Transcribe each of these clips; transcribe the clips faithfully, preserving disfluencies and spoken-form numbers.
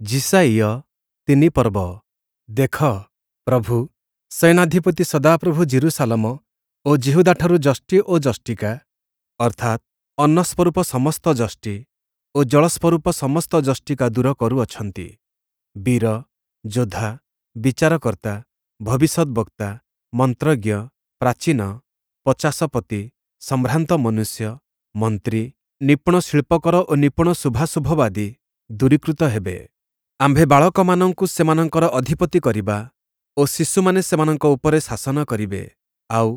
ଯିଶାଇୟ ତିନି ପର୍ବ। ଦେଖ, ପ୍ରଭୁ, ସେନାଧିପତି ସଦାପ୍ରଭୁ ଯିରୂଶାଲମ ଓ ଯିହୁଦାଠାରୁ ଯଷ୍ଟି ଓ ଯଷ୍ଟିକା, ଅର୍ଥାତ୍ ଅନ୍ନସ୍ୱରୂପ ସମସ୍ତ ଯଷ୍ଟି ଓ ଜଳସ୍ୱରୂପ ସମସ୍ତ ଯଷ୍ଟିକା ଦୂର କରୁଅଛନ୍ତି। ବୀର, ଯୋଦ୍ଧା, ବିଚାରକର୍ତ୍ତା, ଭବିଷ୍ୟଦ୍‌ବକ୍ତା, ମନ୍ତ୍ରଜ୍ଞ, ପ୍ରାଚୀନ, ପଚାଶପତି, ସମ୍ଭ୍ରାନ୍ତ ମନୁଷ୍ୟ, ମନ୍ତ୍ରୀ, ନିପୁଣ ଶିଳ୍ପକର ଓ ନିପୁଣ ଶୁଭାଶୁଭବାଦୀ ଦୂରୀକୃତ ହେବେ। ଆମ୍ଭେ ବାଳକମାନଙ୍କୁ ସେମାନଙ୍କର ଅଧିପତି କରିବା ଓ ଶିଶୁମାନେ ସେମାନଙ୍କ ଉପରେ ଶାସନ କରିବେ। ଆଉ,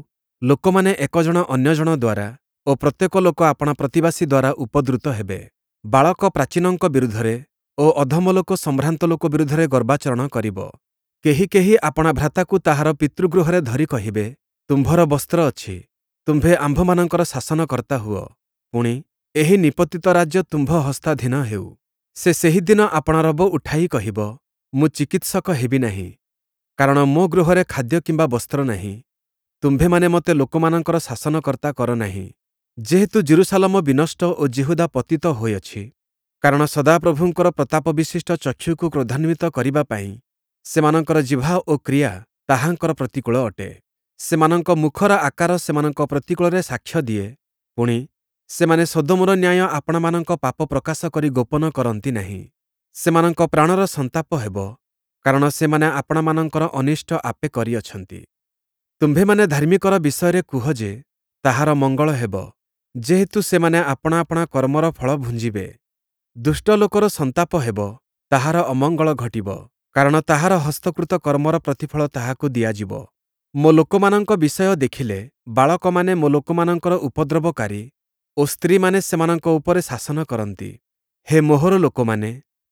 ଲୋକମାନେ ଏକ ଜଣ ଅନ୍ୟ ଜଣ ଦ୍ୱାରା ଓ ପ୍ରତ୍ୟେକ ଲୋକ ଆପଣା ପ୍ରତିବାସୀ ଦ୍ୱାରା ଉପଦ୍ରୁତ ହେବେ। ବାଳକ ପ୍ରାଚୀନଙ୍କ ବିରୁଦ୍ଧରେ ଓ ଅଧମ ଲୋକ ସମ୍ଭ୍ରାନ୍ତ ଲୋକ ବିରୁଦ୍ଧରେ ଗର୍ବାଚରଣ କରିବ। କେହି କେହି ଆପଣା ଭ୍ରାତାକୁ ତାହାର ପିତୃଗୃହରେ ଧରି କହିବେ, ତୁମ୍ଭର ବସ୍ତ୍ର ଅଛି, ତୁମ୍ଭେ ଆମ୍ଭମାନଙ୍କର ଶାସନକର୍ତ୍ତା ହୁଅ, ପୁଣି, ଏହି ନିପତିତ ରାଜ୍ୟ ତୁମ୍ଭ ହସ୍ତାଧୀନ ହେଉ। ସେ ସେହିଦିନ ଆପଣା ରବ ଉଠାଇ କହିବ, ମୁଁ ଚିକିତ୍ସକ ହେବି ନାହିଁ, କାରଣ ମୋ ଗୃହରେ ଖାଦ୍ୟ କିମ୍ବା ବସ୍ତ୍ର ନାହିଁ। ତୁମ୍ଭେମାନେ ମୋତେ ଲୋକମାନଙ୍କର ଶାସନକର୍ତ୍ତା କର ନାହିଁ। ଯେହେତୁ ଯିରୂଶାଲମ ବିନଷ୍ଟ ଓ ଯିହୁଦା ପତିତ ହୋଇଅଛି, କାରଣ ସଦାପ୍ରଭୁଙ୍କର ପ୍ରତାପବିଶିଷ୍ଟ ଚକ୍ଷୁକୁ କ୍ରୋଧାନ୍ୱିତ କରିବା ପାଇଁ ସେମାନଙ୍କର ଜିହ୍ବା ଓ କ୍ରିୟା ତାହାଙ୍କର ପ୍ରତିକୂଳ ଅଟେ। ସେମାନଙ୍କ ମୁଖର ଆକାର ସେମାନଙ୍କ ପ୍ରତିକୂଳରେ ସାକ୍ଷ୍ୟ ଦିଏ, ପୁଣି, ସେମାନେ ସଦୋମର ନ୍ୟାୟ ଆପଣାମାନଙ୍କ ପାପ ପ୍ରକାଶ କରି ଗୋପନ କରନ୍ତି ନାହିଁ। ସେମାନଙ୍କ ପ୍ରାଣର ସନ୍ତାପ ହେବ, କାରଣ ସେମାନେ ଆପଣାମାନଙ୍କର ଅନିଷ୍ଟ ଆପେ କରିଅଛନ୍ତି। ତୁମ୍ଭେମାନେ ଧାର୍ମିକର ବିଷୟରେ କୁହ ଯେ, ତାହାର ମଙ୍ଗଳ ହେବ, ଯେହେତୁ ସେମାନେ ଆପଣା ଆପଣା କର୍ମର ଫଳ ଭୁଞ୍ଜିବେ। ଦୁଷ୍ଟ ଲୋକର ସନ୍ତାପ ହେବ, ତାହାର ଅମଙ୍ଗଳ ଘଟିବ, କାରଣ ତାହାର ହସ୍ତକୃତ କର୍ମର ପ୍ରତିଫଳ ତାହାକୁ ଦିଆଯିବ। ମୋ ଲୋକମାନଙ୍କ ବିଷୟ ଦେଖିଲେ, ବାଳକମାନେ ମୋ ଲୋକମାନଙ୍କର ଉପଦ୍ରବକାରୀ ଓ ସ୍ତ୍ରୀମାନେ ସେମାନଙ୍କ ଉପରେ ଶାସନ କରନ୍ତି। ହେ ମୋହର ଲୋକମାନେ,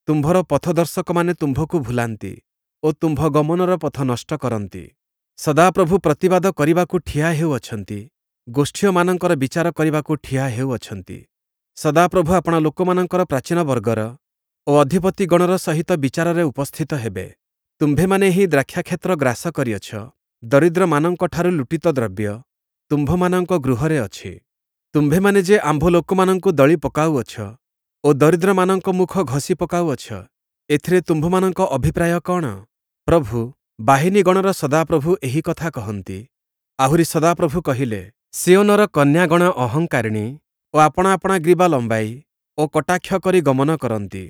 ତୁମ୍ଭର ପଥଦର୍ଶକମାନେ ତୁମ୍ଭକୁ ଭୁଲାନ୍ତି ଓ ତୁମ୍ଭ ଗମନର ପଥ ନଷ୍ଟ କରନ୍ତି। ସଦାପ୍ରଭୁ ପ୍ରତିବାଦ କରିବାକୁ ଠିଆ ହେଉଅଛନ୍ତି, ଗୋଷ୍ଠୀୟମାନଙ୍କର ବିଚାର କରିବାକୁ ଠିଆ ହେଉଅଛନ୍ତି। ସଦାପ୍ରଭୁ ଆପଣା ଲୋକମାନଙ୍କର ପ୍ରାଚୀନ ବର୍ଗର ଓ ଅଧିପତିଗଣର ସହିତ ବିଚାରରେ ଉପସ୍ଥିତ ହେବେ। ତୁମ୍ଭେମାନେ ହିଁ ଦ୍ରାକ୍ଷାକ୍ଷେତ୍ର ଗ୍ରାସ କରିଅଛ, ଦରିଦ୍ରମାନଙ୍କଠାରୁ ଲୁଟିତ ଦ୍ରବ୍ୟ ତୁମ୍ଭମାନଙ୍କ ଗୃହରେ ଅଛି। ତୁମ୍ଭେମାନେ ଯେ ଆମ୍ଭ ଲୋକମାନଙ୍କୁ ଦଳି ପକାଉଅଛ ଓ ଦରିଦ୍ରମାନଙ୍କ ମୁଖ ଘଷି ପକାଉଅଛ, ଏଥିରେ ତୁମ୍ଭମାନଙ୍କ ଅଭିପ୍ରାୟ କଅଣ? ପ୍ରଭୁ, ବାହିନୀଗଣର ସଦାପ୍ରଭୁ ଏହି କଥା କହନ୍ତି। ଆହୁରି ସଦାପ୍ରଭୁ କହିଲେ, ସିୟୋନର କନ୍ୟାଗଣ ଅହଙ୍କାରିଣୀ ଓ ଆପଣା ଆପଣା ଗ୍ରୀବା ଲମ୍ବାଇ ଓ କଟାକ୍ଷ କରି ଗମନ କରନ୍ତି।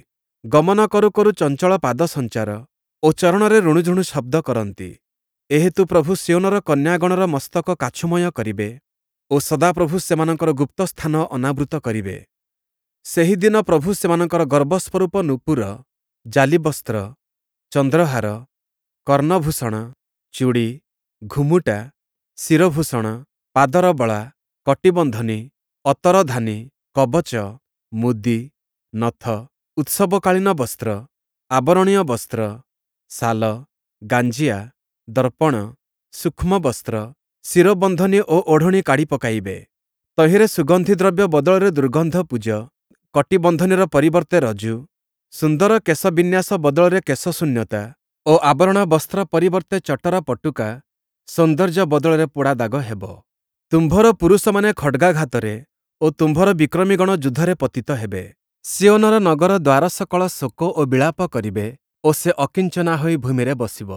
ଗମନ କରୁ କରୁ ଚଞ୍ଚଳ ପାଦସଞ୍ଚାର ଓ ଚରଣରେ ରୁଣୁଝୁଣୁ ଶବ୍ଦ କରନ୍ତି। ଏହେତୁ ପ୍ରଭୁ ସିୟୋନର କନ୍ୟାଗଣର ମସ୍ତକ କାଛୁମୟ କରିବେ ଓ ସଦାପ୍ରଭୁ ସେମାନଙ୍କର ଗୁପ୍ତସ୍ଥାନ ଅନାବୃତ କରିବେ। ସେହିଦିନ ପ୍ରଭୁ ସେମାନଙ୍କର ଗର୍ବସ୍ୱରୂପ ନୂପୁର, ଜାଲିବସ୍ତ୍ର, ଚନ୍ଦ୍ରହାର, କର୍ଣ୍ଣଭୂଷଣ, ଚୂଡ଼ି, ଘୁମୁଟା, ଶିରୋଭୂଷଣ, ପାଦର ବଳା, କଟିବନ୍ଧନୀ, ଅତରଧାନୀ, କବଚ, ମୁଦି, ନଥ, ଉତ୍ସବକାଳୀନ ବସ୍ତ୍ର, ଆବରଣୀୟ ବସ୍ତ୍ର, ଶାଲ, ଗାଞ୍ଜିଆ, ଦର୍ପଣ, ସୂକ୍ଷ୍ମ ବସ୍ତ୍ର, ଶିରୋବନ୍ଧନୀ ଓ ଓଢ଼ଣୀ କାଢ଼ି ପକାଇବେ। ତହିଁରେ ସୁଗନ୍ଧି ଦ୍ରବ୍ୟ ବଦଳରେ ଦୁର୍ଗନ୍ଧ ପୂଜ, କଟିବନ୍ଧନୀର ପରିବର୍ତ୍ତେ ରଜ୍ଜୁ, ସୁନ୍ଦର କେଶବିନ୍ୟାସ ବଦଳରେ କେଶଶୂନ୍ୟତା ଓ ଆବରଣ ବସ୍ତ୍ର ପରିବର୍ତ୍ତେ ଚଟର ପଟୁକା, ସୌନ୍ଦର୍ଯ୍ୟ ବଦଳରେ ପୋଡ଼ା ଦାଗ ହେବ। ତୁମ୍ଭର ପୁରୁଷମାନେ ଖଡ଼୍ଗାଘାତରେ ଓ ତୁମ୍ଭର ବିକ୍ରମୀଗଣ ଯୁଦ୍ଧରେ ପତିତ ହେବେ। ସିୟୋନର ନଗର ଦ୍ୱାରସକଳ ଶୋକ ଓ ବିଳାପ କରିବେ ଓ ସେ ଅକିଞ୍ଚନା ହୋଇ ଭୂମିରେ ବସିବ।